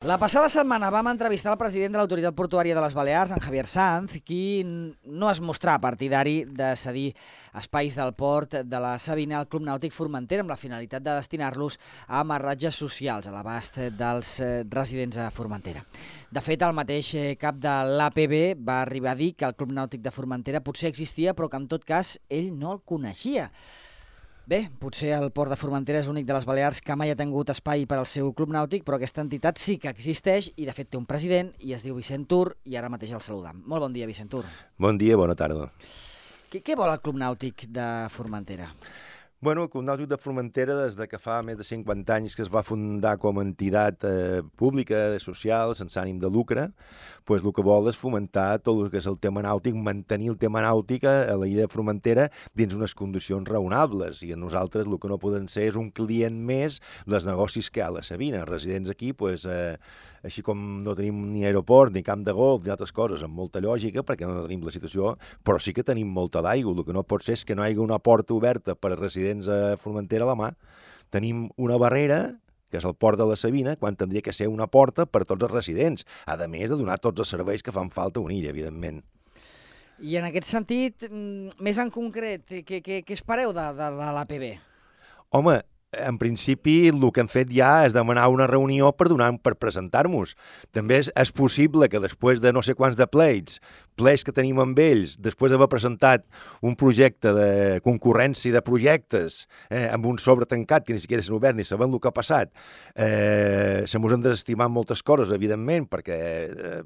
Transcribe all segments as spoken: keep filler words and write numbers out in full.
La passada setmana vam entrevistar el president de l'Autoritat Portuària de les Balears, en Javier Sanz, qui no es mostrà partidari de cedir espais del port de la Sabina al Club Nàutic Formentera amb la finalitat de destinar-los a amarratges socials a l'abast dels residents a Formentera. De fet, el mateix cap de l'A P B va arribar a dir que el Club Nàutic de Formentera potser existia, però que en tot cas ell no el coneixia. Bé, potser el port de Formentera és l'únic de les Balears que mai ha tingut espai per al seu club nàutic, però aquesta entitat sí que existeix i de fet té un president i es diu Vicent Tur i ara mateix el saludam. Molt bon dia, Vicent Tur. Bon dia, bona tarda. Què, què vol el club nàutic de Formentera? Bueno, el Club Nàutic de Formentera, des de que fa més de cinquanta anys que es va fundar com a entitat eh, pública, social, sense ànim de lucre, pues el que vol és fomentar tot el que és el tema nàutic, mantenir el tema nàutic a la illa de Formentera dins unes condicions raonables. I a nosaltres el que no podem ser és un client més dels negocis que hi ha a la Sabina. Residents aquí, pues, eh, així com no tenim ni aeroport, ni camp de golf, ni altres coses, amb molta lògica, perquè no tenim la situació, però sí que tenim molta d'aigua. El que no pot ser és que no hi hagi una porta oberta per a residents a Formentera a la mà. Tenim una barrera, que és el port de la Sabina, quan tindria que ser una porta per a tots els residents, a més de donar tots els serveis que fan falta a una illa, evidentment. I en aquest sentit, més en concret, què, què, què espereu de, de, de l'A P B? Home, en principi el que hem fet ja és demanar una reunió per donar per presentar-nos. També és, és possible que després de no sé quants de pleits, pleis que tenim amb ells, després d'haver presentat un projecte de concurrència de projectes eh, amb un sobre tancat que ni siquiera s'han obert ni sabem el que ha passat, eh, se mos han desestimat moltes coses, evidentment, perquè eh,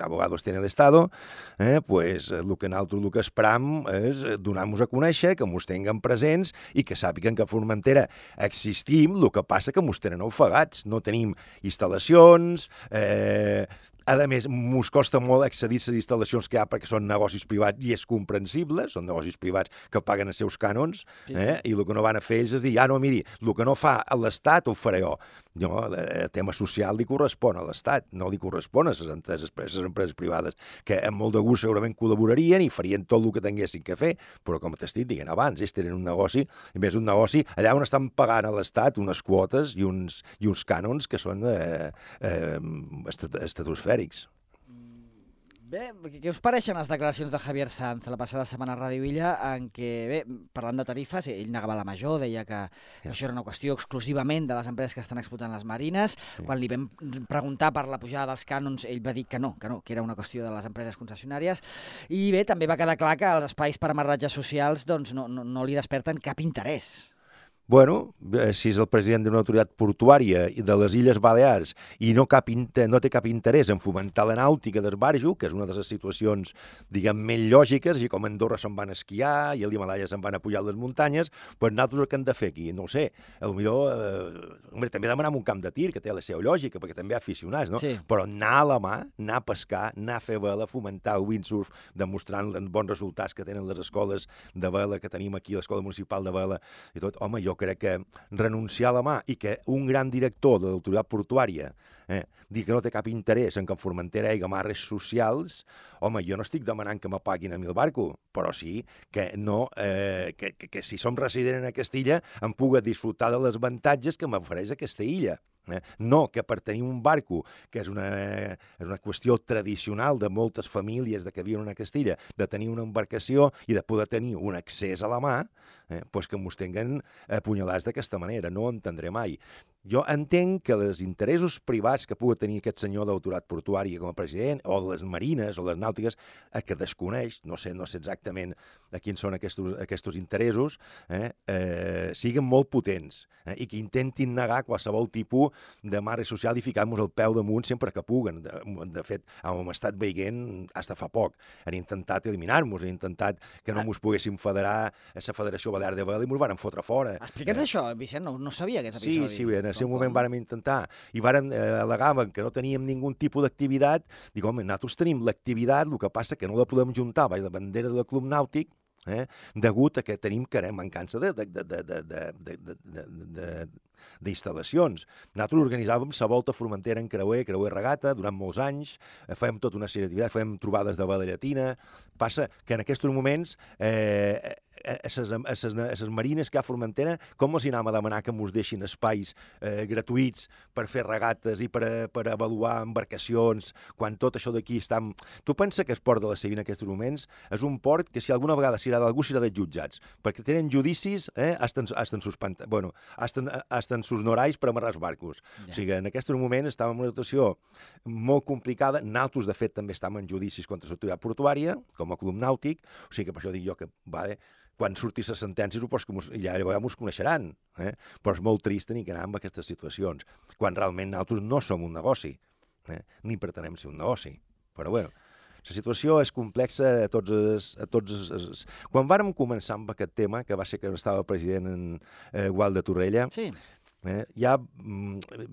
abogados tienen el Estado, eh, pues el que nosaltres el que esperam és donar-nos a conèixer, que mos tinguen presents i que sàpiguen que a Formentera existim, el que passa que mos tenen ofegats, no tenim instal·lacions, eh, a més, mos costa molt accedir a les instal·lacions que hi ha perquè són negocis privats i és comprensible, són negocis privats que paguen els seus cànons, eh? Sí, sí. I el que no van a fer ells és dir, ah, no, miri, el que no fa l'Estat ho faré jo. No, el tema social li correspon a l'Estat, no li correspon a les empreses, les empreses privades, que amb molt de gust segurament col·laborarien i farien tot el que tinguessin que fer, però com t'estic dient abans, ells tenen un negoci, a més un negoci allà on estan pagant a l'Estat unes quotes i uns, i uns cànons que són eh, eh, estratosfèrics. Bé, què us pareixen les declaracions de Javier Sanz la passada setmana a Ràdio Illa, en què, bé, parlant de tarifes, ell negava la major, deia que sí. Això era una qüestió exclusivament de les empreses que estan explotant les marines. Sí. Quan li vam preguntar per la pujada dels cànons, ell va dir que no, que no, que era una qüestió de les empreses concessionàries. I bé, també va quedar clar que els espais per amarratges socials doncs, no, no, no li desperten cap interès. Bueno, si és el president d'una autoritat portuària de les Illes Balears i no, cap inter, no té cap interès en fomentar la nàutica d'esbarjo, que és una de les situacions, diguem, més lògiques, i com a Andorra se'n van esquiar i a l'Himalaya se'n van a pujar a les muntanyes, doncs nosaltres el que hem de fer aquí, no ho sé, potser eh, també demanar un camp de tir, que té la seva lògica, perquè també hi ha aficionats, no? Sí. Però anar a la mà, anar a pescar, anar a fer vela, fomentar el windsurf, demostrant els bons resultats que tenen les escoles de vela que tenim aquí, l'Escola Municipal de Vela i tot, home, jo crec que renunciar a la mà i que un gran director de l'autoritat portuària eh, digui que no té cap interès en que en Formentera hi hagi amarres socials, home, jo no estic demanant que me paguin a mi el barco, però sí que, no, eh, que, que, que si som resident en aquesta illa em pugui disfrutar de les avantatges que m'ofereix aquesta illa. Eh? No que per tenir un barco, que és una, és una qüestió tradicional de moltes famílies de que viuen en aquesta illa, de tenir una embarcació i de poder tenir un accés a la mà, eh, doncs que mos tinguen apunyalats d'aquesta manera, no ho entendré mai. Jo entenc que els interessos privats que pugui tenir aquest senyor d'autoritat portuària com a president, o de les marines o les nàutiques, eh, que desconeix, no sé, no sé exactament a quins són aquests, aquests interessos, eh, eh, siguin molt potents eh, i que intentin negar qualsevol tipus de marre social i ficar-nos el peu damunt sempre que puguen. De, de fet, hem estat veient fins fa poc. Han intentat eliminar-nos, han intentat que no ens poguéssim federar a la Federació Balear de Vela i ens van fotre fora. Explica'ns eh. això, Vicent, no, no sabia aquest episodi. Sí, sí, en el seu moment vàrem intentar i vàrem eh, al·legaven que no teníem ningun tipus d'activitat. Dic, home, nosaltres tenim l'activitat, el que passa que no la podem juntar a la bandera del Club Nàutic, eh, degut a que tenim que mancança de, de, de, de, de, de, de, de, de d'instal·lacions. Nosaltres organitzàvem la volta a Formentera en creuer, creuer regata, durant molts anys, fèiem tota una sèrie d'activitats, fèiem trobades de vela llatina. Passa que en aquests moments eh, a les marines que hi ha a Formentera, com els hi anem a demanar que ens deixin espais eh, gratuïts per fer regates i per, per avaluar embarcacions, quan tot això d'aquí està... Tu pensa que el port de la Sevilla en aquests moments és un port que si alguna vegada s'hi ha d'algú serà dels jutjats, perquè tenen judicis eh, hasta, en, hasta, en sus, bueno, hasta, hasta en sus norais per amarrar els barcos. Ja. O sigui, en aquests moments estàvem en una situació molt complicada. Nosaltres, de fet, també estàvem en judicis contra l'autoritat portuària, com a club nàutic, o sigui que per això dic jo que, vale, quan surti la sentència, supos que mos, ja llavors ens coneixeran, eh? Però és molt trist tenir que anar amb aquestes situacions, quan realment nosaltres no som un negoci, eh? Ni pretenem ser un negoci. Però bueno, la situació és complexa a tots els... A tots els... Quan vàrem començar amb aquest tema, que va ser que estava president en eh, Gual de Torrella, sí. Eh, ja,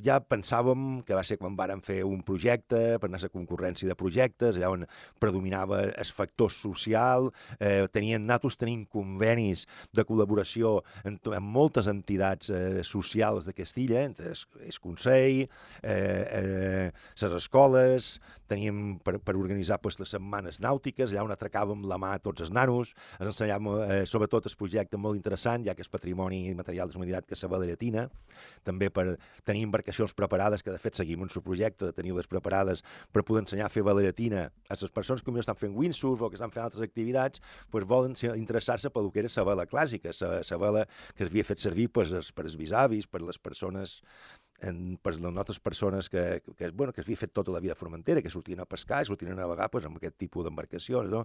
ja pensàvem que va ser quan vàrem fer un projecte per anar a la concurrència de projectes, allà on predominava el factor social, eh, tenien, nosaltres tenim convenis de col·laboració amb, amb moltes entitats eh, socials de Castilla, entre el Consell, eh, eh, les escoles, teníem per, per organitzar pues, les setmanes nàutiques, allà on atracàvem la mà a tots els nanos, ens ensenyàvem eh, sobretot el projecte molt interessant, ja que és patrimoni material de la humanitat, que és la Llatina, també per tenir embarcacions preparades, que de fet seguim un subprojecte de tenir-les preparades per poder ensenyar a fer vela llatina a les persones que potser estan fent windsurf o que estan fent altres activitats, pues volen interessar-se pel que era la vela clàssica, la vela que s'havia fet servir pues, per els bisavis, per les persones en, per les nostres persones que, que, bueno, que s'havia fet tota la vida a Formentera, que sortien a pescar i sortien a navegar pues, amb aquest tipus d'embarcacions. No?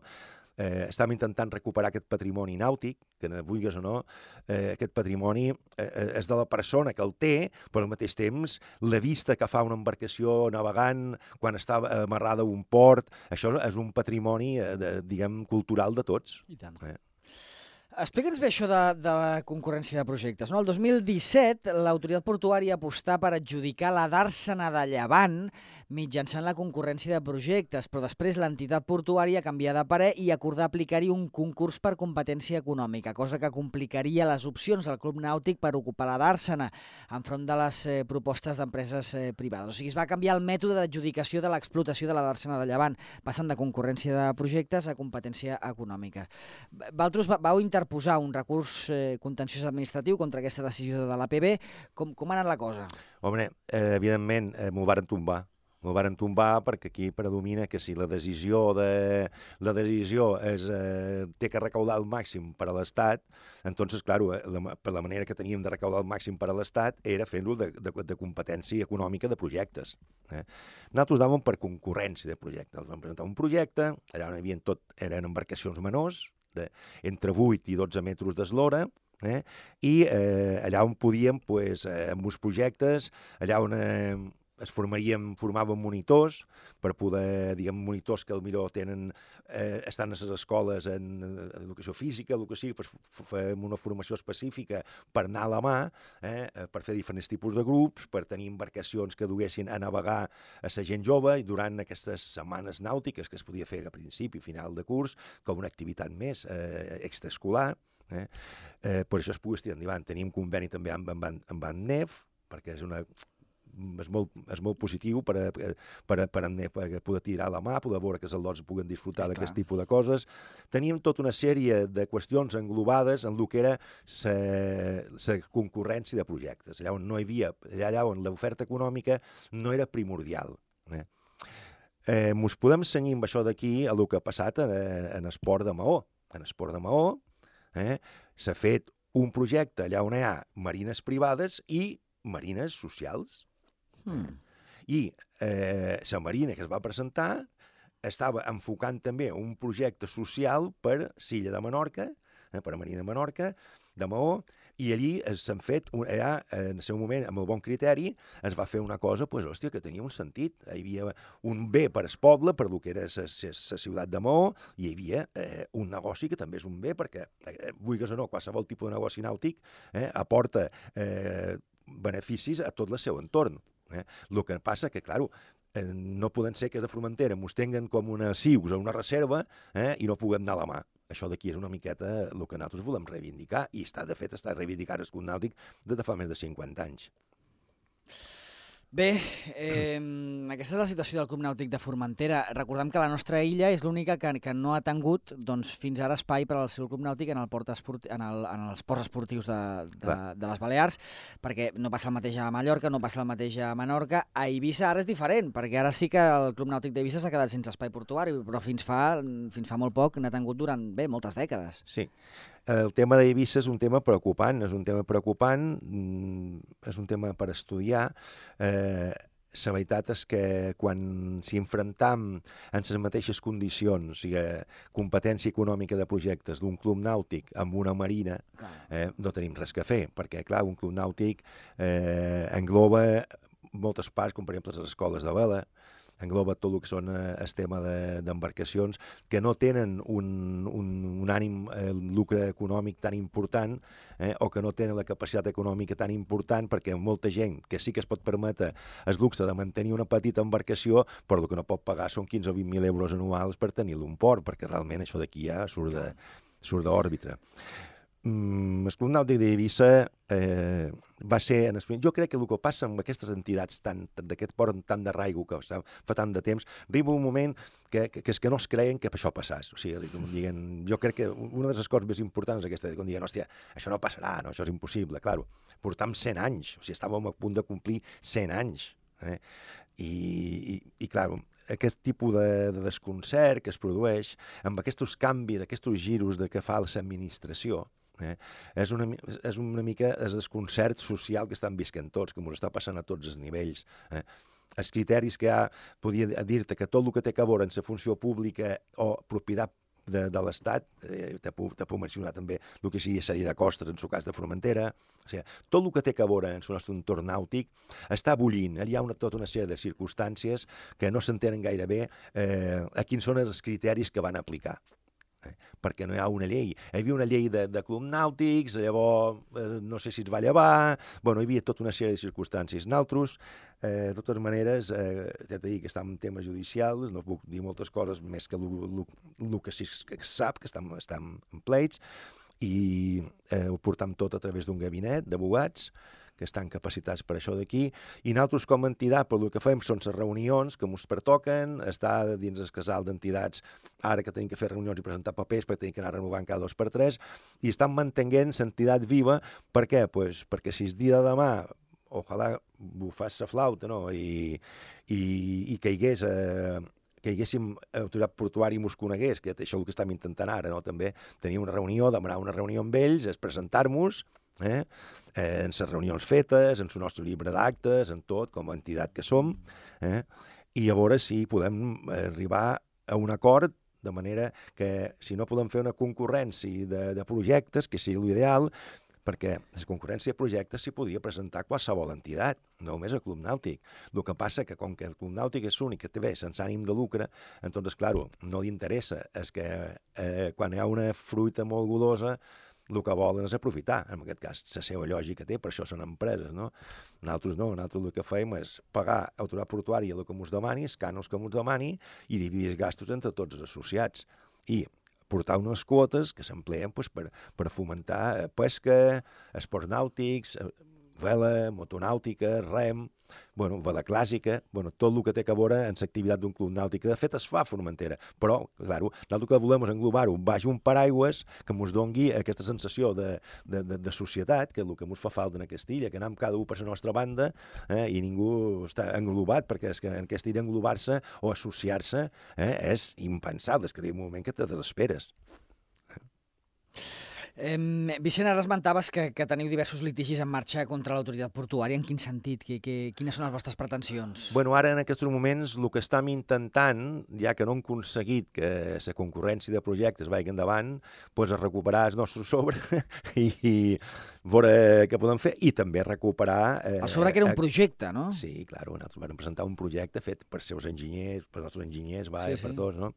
Eh, estàvem intentant recuperar aquest patrimoni nàutic, que no vulguis o no, eh, aquest patrimoni eh, és de la persona que el té, però al mateix temps la vista que fa una embarcació navegant quan està amarrada a un port, això és un patrimoni, eh, de, diguem, cultural de tots. I tant. Eh? Explica'ns bé això de, de la concurrència de projectes. No? El dos mil disset, l'autoritat portuària apostà per adjudicar la Dàrsena de Llevant mitjançant la concurrència de projectes, però després l'entitat portuària canvià de parer i acordà aplicar-hi un concurs per competència econòmica, cosa que complicaria les opcions del Club Nàutic per ocupar la Dàrsena enfront de les eh, propostes d'empreses eh, privades. O sigui, es va canviar el mètode d'adjudicació de l'explotació de la Dàrsena de Llevant, passant de concurrència de projectes a competència econòmica. Vosaltres vau interpretar posar un recurs eh, contenciós administratiu contra aquesta decisió de l'A P B. Com, com ha anat la cosa? Home, eh, evidentment, eh, m'ho varen tombar. M'ho varen tombar perquè aquí predomina que si la decisió, de, la decisió és, eh, té que recaudar el màxim per a l'Estat, entonces, claro, eh, la, per la manera que teníem de recaudar el màxim per a l'Estat era fent-ho de, de, de competència econòmica de projectes. Eh? Nosaltres anàvem per concurrència de projectes. Vam presentar un projecte, allà on hi havia tot, eren embarcacions menors, de, entre vuit i dotze metres d'eslora, eh? I eh, allà on podíem, pues, eh, amb uns projectes, allà on eh, es formaríem, formàvem monitors, per poder, diguem, monitors que potser tenen, eh, estan a les escoles en educació física, el que sigui, per fer una formació específica per anar a la mà, eh, per fer diferents tipus de grups, per tenir embarcacions que duguessin a navegar a la gent jove, i durant aquestes setmanes nàutiques que es podia fer a principi i final de curs, com una activitat més eh, extraescolar, eh, eh, per això es pogués tirar endavant. Tenim conveni també amb, amb, amb, amb N E F, perquè és una... És molt, és molt positiu per, a, per, a, per, a, per a poder tirar la mà, poder veure que els alumnes puguen disfrutar sí, d'aquest tipus de coses. Teníem tota una sèrie de qüestions englobades en el que era la concurrència de projectes, allà on no hi havia, allà on l'oferta econòmica no era primordial. Eh? Eh, mos podem cenyir amb això d'aquí a el que ha passat en, en esport de Maó. En esport de Maó eh, s'ha fet un projecte allà on hi ha marines privades i marines socials. Hmm. I eh, la marina que es va presentar estava enfocant també un projecte social per Silla de Menorca, eh, per a Marina de Menorca, de Maó, i allí s'han fet, allà, en el seu moment, amb el bon criteri, es va fer una cosa, pues, hòstia, que tenia un sentit. Hi havia un bé per al poble, per lo que era la ciutat de Maó, i hi havia eh, un negoci que també és un bé, perquè, eh, vulguis o no, qualsevol tipus de negoci nàutic eh, aporta eh, beneficis a tot el seu entorn. Eh? El que passa que, clar, eh, no poden ser que des de Formentera mos tenguen com una cius o una reserva eh, i no puguem anar a la mà. Això d'aquí és una miqueta el que nosaltres volem reivindicar, i està, de fet, està reivindicant el Club Nàutic des de fa més de cinquanta anys. Bé, eh, aquesta és la situació del Club Nàutic de Formentera. Recordem que la nostra illa és l'única que, que no ha tingut doncs, fins ara espai per al seu Club Nàutic en, el port esporti en, el, en els ports esportius de, de, de les Balears, perquè no passa el mateix a Mallorca, no passa el mateix a Menorca. A Eivissa ara és diferent, perquè ara sí que el Club Nàutic d'Eivissa s'ha quedat sense espai portuari, però fins fa, fins fa molt poc n'ha tingut durant, bé, moltes dècades. Sí. El tema d'Eivissa és un tema preocupant, és un tema preocupant, és un tema per estudiar. Eh, la veritat és que quan s'hi enfrontam en les mateixes condicions, o sigui, competència econòmica de projectes d'un club nàutic amb una marina, eh, no tenim res que fer, perquè, clar, un club nàutic eh, engloba moltes parts, com per exemple les escoles de vela, engloba tot el que són eh, el tema d'embarcacions de, que no tenen un, un, un ànim eh, lucre econòmic tan important eh, o que no tenen la capacitat econòmica tan important, perquè molta gent que sí que es pot permetre el luxe de mantenir una petita embarcació, però el que no pot pagar són quinze o vint mil euros anuals per tenir-lo un port, perquè realment això d'aquí ja surt de, surt d'òrbita. Mm, el Club Nàutic d'Eivissa eh, va ser... En el... Jo crec que el que passa amb aquestes entitats d'aquest port tant de raigo que fa tant de temps, arriba un moment que, que, que és que no es creien que això passàs. O sigui, com diguen, jo crec que una de les coses més importants és aquesta, quan diuen, hòstia, això no passarà, no, això és impossible. Claro, portam cent anys, o sigui, estàvem a punt de complir cent anys. Eh? I, i, i clar, aquest tipus de, de desconcert que es produeix amb aquests canvis, aquests giros de que fa l'administració, Eh? És, una, és una mica el desconcert social que estan visquent tots, que ens està passant a tots els nivells. Eh? Els criteris que hi ha, podia dir-te que tot el que té a veure en la funció pública o propietat de, de l'Estat, eh, te, puc, te puc mencionar també el que sigui sèrie de costes, en el cas de Formentera, o sigui, tot el que té a veure en el nostre entorn nàutic està bullint. Hi ha una, tota una sèrie de circumstàncies que no s'entenen gaire bé eh, a quins són els criteris que van aplicar. Eh, perquè no hi ha una llei. Hi havia una llei de, de club nàutics, llavors eh, no sé si es va llevar, bueno, hi havia tota una sèrie de circumstàncies. Nosaltres, eh, de totes maneres, eh, ja t'he dit que estem en temes judicials, no puc dir moltes coses més que el que sí que es sap, que estem, estem en pleits, i eh, ho portam tot a través d'un gabinet d'abogats, que estan capacitats per això d'aquí, i nosaltres com a entitat, per el que fem són les reunions que ens pertoquen, estar dins el casal d'entitats, ara que tenim que fer reunions i presentar papers, perquè tenim que anar renovant cada dos per tres, i estan mantenint l'entitat viva. Per què? Pues perquè si el dia de demà, ojalà bufàs la flauta, no? I, i, i caigués a... que hi haguéssim autoritat portuària i mos conegués, que això és el que estem intentant ara, no? També tenir una reunió, demanar una reunió amb ells, és presentar-nos, eh? Eh, en les reunions fetes, en el nostre llibre d'actes, en tot, com a entitat que som, eh? I llavors sí podem arribar a un acord, de manera que si no podem fer una concurrència de, de projectes, que sigui l'ideal, perquè la concurrència de projectes s'hi podia presentar qualsevol entitat, no només el Club Nàutic. El que passa que com que el Club Nàutic és l'únic que té bé sense ànim de lucre, entonces, clar, no li interessa. És que eh, quan hi ha una fruita molt gulosa, el que volen és aprofitar. En aquest cas, la seva lògica té, per això són empreses, no? Nosaltres no, nosaltres el que fem és pagar autoritat portuària el que ens demani, els cànons que ens demani, i dividir els gastos entre tots els associats. I portar unes quotes que s'empleen pues, per, per fomentar pesca, esports nàutics, vela, motonàutica, rem, bueno, vela clàssica, bueno, tot el que té a veure en l'activitat d'un club nàutic. De fet, es fa a Formentera, però, clar, nosaltres que volem és englobar-ho baix un paraigües que ens doni aquesta sensació de, de, de, de societat, que és el que ens fa falta en aquesta illa, que anem cada un per la nostra banda eh, i ningú està englobat, perquè és que en aquesta illa englobar-se o associar-se eh, és impensable, és que hi ha un moment que te desesperes. Eh, Vicent, ara esmentaves que, que teniu diversos litigis en marxa contra l'autoritat portuària. En quin sentit? Que, que, quines són les vostres pretensions? Bueno, ara en aquests moments el que estem intentant, ja que no hem aconseguit que la concurrència de projectes vagi endavant, doncs és recuperar el nostre sobre i, i veure què podem fer i també recuperar... Eh, el sobre que era un projecte, no? Sí, clar, nosaltres vam presentar un projecte fet per seus enginyers, per nostres enginyers, va, sí, sí. per tots, no?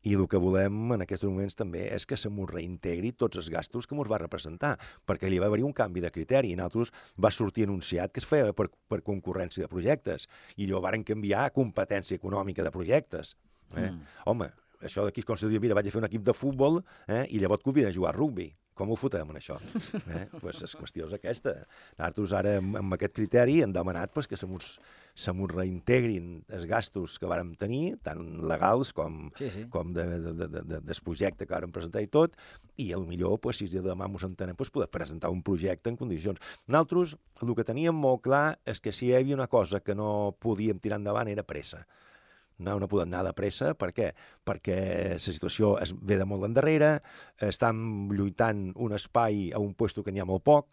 I el que volem en aquests moments també és que se mos reintegri tots els gastos que mos va representar, perquè hi va haver un canvi de criteri. I nosaltres va sortir anunciat que es feia per, per concurrència de projectes, i llavors varen canviar a competència econòmica de projectes. Eh? Mm. Home, això d'aquí es considera, mira, vaig a fer un equip de futbol eh, i llavors et conviden a jugar a rugby. com ho fotem, en això? Eh? Pues la qüestió és aquesta. Nosaltres ara, amb, amb aquest criteri, hem demanat pues, que se mos, se mos reintegrin els gastos que vàrem tenir, tant legals com, sí, sí. com de, de, de, de, de, del projecte que vàrem presentar i tot, i potser, pues, si demà mos entenem, pues, poder presentar un projecte en condicions. Nosaltres, el que teníem molt clar és que si hi havia una cosa que no podíem tirar endavant era pressa. No, no podem anar de pressa. Per què? Perquè la situació es ve de molt endarrere, estem lluitant un espai a un lloc que n'hi ha molt poc,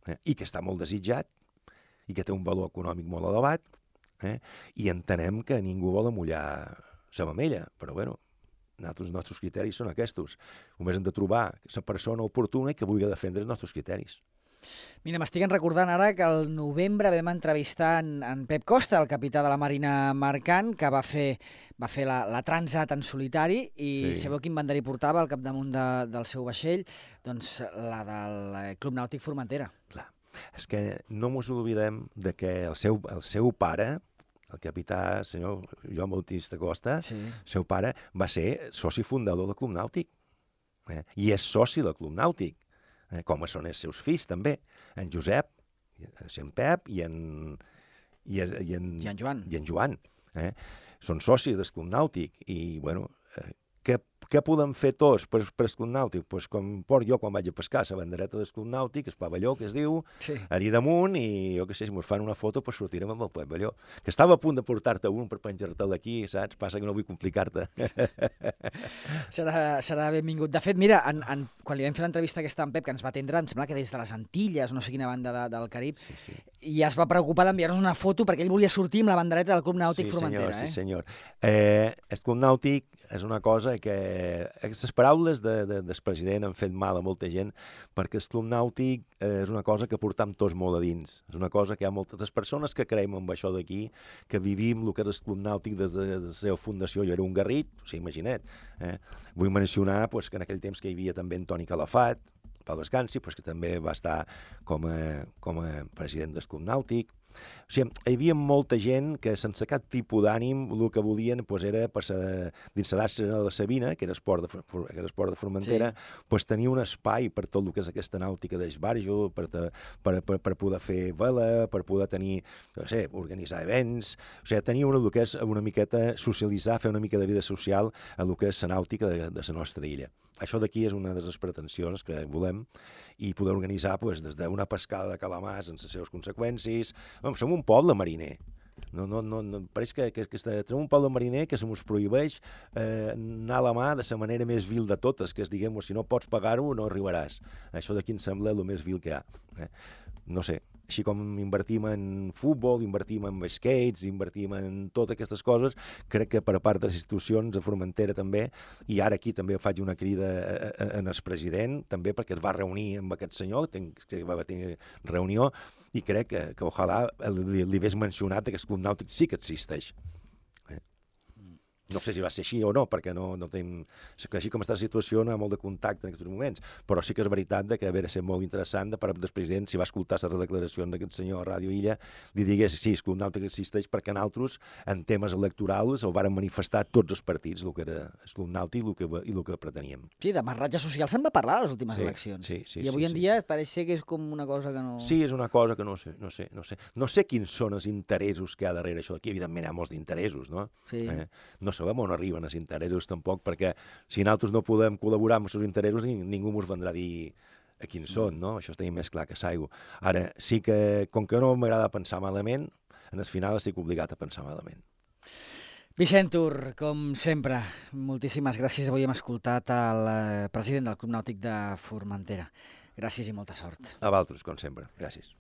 eh, i que està molt desitjat, i que té un valor econòmic molt elevat, eh, i entenem que ningú vol amollar la mamella, però bueno, nosaltres, els nostres criteris són aquests. Només hem de trobar la persona oportuna i que vulgui defendre els nostres criteris. Mira, m'estic recordant ara que al novembre vam entrevistar en, en Pep Costa, el capità de la Marina Mercant, que va fer, va fer la, la Transat en solitari, i sí. Sabeu quin banderí portava al capdamunt de, del seu vaixell? Doncs la del Club Nàutic Formentera. Clar, és que no mos oblidem de que el seu, el seu pare, el capità senyor Joan Bautista Costa, sí. El seu pare va ser soci fundador del Club Nàutic, eh? I és soci del Club Nàutic. Eh, com són els seus fills, també. En Josep, en Pep i en, i, i en, I en Joan. I en Joan eh? Són socis del Club Nàutic i, bueno, eh, què, què podem fer tots per, per el Club Nàutic? Pues com porto jo quan vaig a pescar, la bandereta del Club Nàutic, el pavelló, que es diu, sí. Allí damunt, i jo què sé, si ens fan una foto, pues sortirem amb el pavelló. Que estava a punt de portar-te un per penjar-te'l aquí, saps? Passa que no vull complicar-te. serà, serà benvingut. De fet, mira, en, en, quan li vam fer l'entrevista aquesta en Pep, que ens va atendre, em sembla que des de les Antilles, no sé quina banda de, del Carib, sí, sí. I es va preocupar d'enviar-nos una foto perquè ell volia sortir amb la bandereta del Club Nàutic sí, Formentera. Senyor, eh? Sí, senyor. Eh, el Club Nàutic és una cosa que... Les paraules de, de, del president han fet mal a molta gent, perquè el Club Nàutic eh, és una cosa que portam tots molt a dins. És una cosa que hi ha moltes les persones que creiem en això d'aquí, que vivim el que és el Club Nàutic des de, de la seva fundació. Jo era un garrit, o sigui, imagina't. Eh? Vull mencionar pues, que en aquell temps que hi havia també en Toni Calafat, Pau Descansi, pues, que també va estar com a, com a president del Club Nàutic. O sigui, hi havia molta gent que sense cap tipus d'ànim el que volien pues, era d'instal·lar-se a la Sabina, que era esport de, que era esport de Formentera, sí. Pues, tenir un espai per tot el que és aquesta nàutica d'esbarjo, per, per, per, per poder fer vela, per poder tenir, no sé, organitzar events, o sigui, tenir una, el que és una miqueta socialitzar, fer una mica de vida social a el que és la nàutica de, de la nostra illa. Això d'aquí és una de les pretensions que volem i poder organitzar pues, des d'una pescada de calamars en les seves conseqüències. Bueno, som un poble mariner. No, no, no, no, pareix que, que, que tenim un poble mariner que se mos prohibeix eh, anar a la mà de la manera més vil de totes, que és, diguem, si no pots pagar-ho, no arribaràs. Això d'aquí em sembla el més vil que hi ha. Eh? No sé, així com invertim en futbol, invertim en skates, invertim en totes aquestes coses, crec que per part de les institucions, a Formentera també, i ara aquí també faig una crida en el president, també perquè es va reunir amb aquest senyor, que va tenir reunió, i crec que, que ojalà li, li hagués mencionat que el Club Nàutic sí que existeix. Eh? No sé si va ser així o no, perquè no, no tenim... Així com està la situació, no hi ha molt de contacte en aquests moments, però sí que és veritat que hauria de ser molt interessant de part del president, si va escoltar les declaracions d'aquest senyor a Ràdio Illa, li digués, sí, el Club Nàutic existeix perquè nosaltres, en temes electorals, el varen manifestar tots els partits, el que era el Club Nàutic i el que, i el que preteníem. Sí, de marratge social se'n va parlar a les últimes sí, eleccions. Sí, sí, I avui sí, en sí. dia pareix ser que és com una cosa que no... Sí, és una cosa que no sé, no sé, no sé. No sé quins són els interessos que hi ha darrere això. Aquí, evidentment, hi ha molts d'interessos, no? Sí. Eh? No sabem on arriben els interessos, tampoc, perquè si nosaltres no podem col·laborar amb els seus interessos, ningú ens vendrà a dir a quins són, no? Això està més clar que s'aigua. Ara, sí que, com que no m'agrada pensar malament, en el final estic obligat a pensar malament. Vicent Tur, com sempre, moltíssimes gràcies. Avui hem escoltat el president del Club Nàutic de Formentera. Gràcies i molta sort. A vosaltres, com sempre. Gràcies.